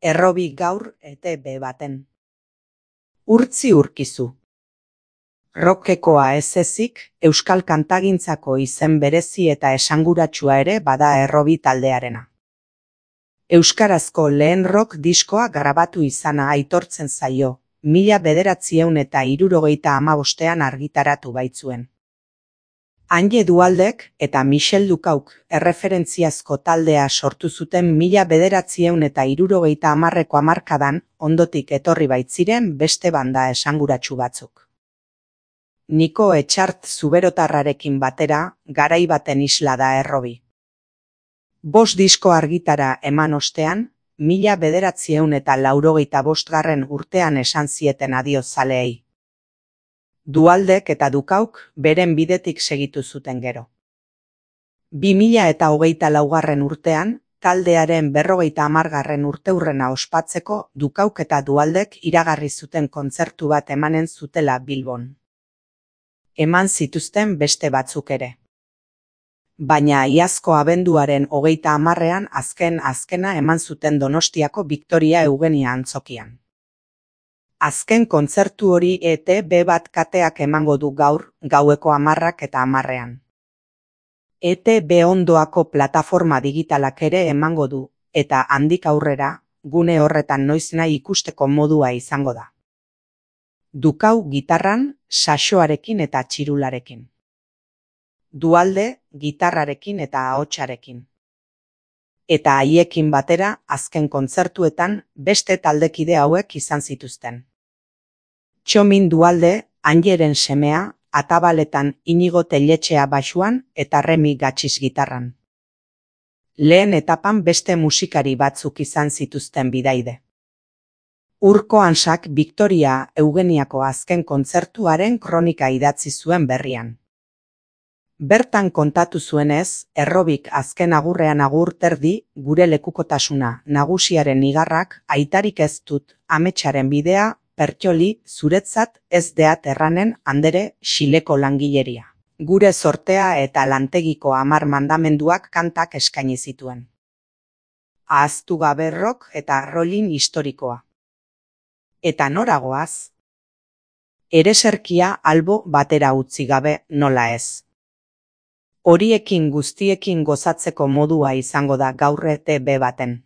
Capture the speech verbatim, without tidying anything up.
Errobi gaur E T B baten. Urtzi urkizu. Rockekoa ez ezik, euskal kantagintzako izen berezi eta esanguratsua ere bada Errobi taldearena. Euskarazko lehen rock diskoa grabatu izana aitortzen zaio, mila bederatziehun eta hirurogeita hamabostean argitaratu baitzuen. Anje Dualdek eta Michel Ducauk erreferentziazko taldea sortu zuten mila bederatziehun eta hirurogeita hamarreko hamarkadan ondotik etorri baitziren beste banda esanguratsu batzuk. Niko Etxart zuberotarrarekin batera, garai baten isla da Errobi. Bost disko argitara eman ostean, mila bederatziehun eta laurogeita bostgarren urtean esan zieten adio zaleei. Dualdek eta Ducauk beren bidetik segitu zuten gero. Bi mila eta hogeita laugarren urtean, taldearen berrogeita hamargarren urteurrena ospatzeko Ducauk eta Dualdek iragarri zuten kontzertu bat emanen zutela Bilbon. Eman zituzten beste batzuk ere. Baina iazko abenduaren hogeita hamarrean azken azkena eman zuten Donostiako Victoria Eugenia antzokian. Azken kontzertu hori E T B bat kateak emango du gaur, gaueko hamarrak eta hamarrean. E T B ondoako plataforma digitalak ere emango du, eta handik aurrera, gune horretan noiznahi ikusteko modua izango da. Ducau gitarran, saxoarekin eta txirularekin. Dualde, gitarrarekin eta ahotsarekin. Eta haiekin batera, azken kontzertuetan, beste taldekide hauek izan zituzten. Txomin Dualde, Anjeren semea, atabaletan Inigo Telletxea baxuan eta Remi Gatxiz gitarran. Lehen etapan beste musikari batzuk izan zituzten bidaide. Urko Hansak Victoria Eugeniako azken kontzertuaren kronika idatzi zuen berrian. Bertan kontatu zuenez, Errobik azken agurrean agur terdi, gure lekukotasuna, nagusiaren igarrak, aitarik ez dut, ametsaren bidea, pertsoli, zuretzat ez deat erranen andere xileko langileria. Gure sortea eta lantegiko hamar mandamenduak kantak eskaini zituen. Ahaztu gabe rock eta rollin historikoa. Eta noragoaz? Ereserkia albo batera utzi gabe nola ez. Horiekin guztiekin gozatzeko modua izango da gaur E T B baten.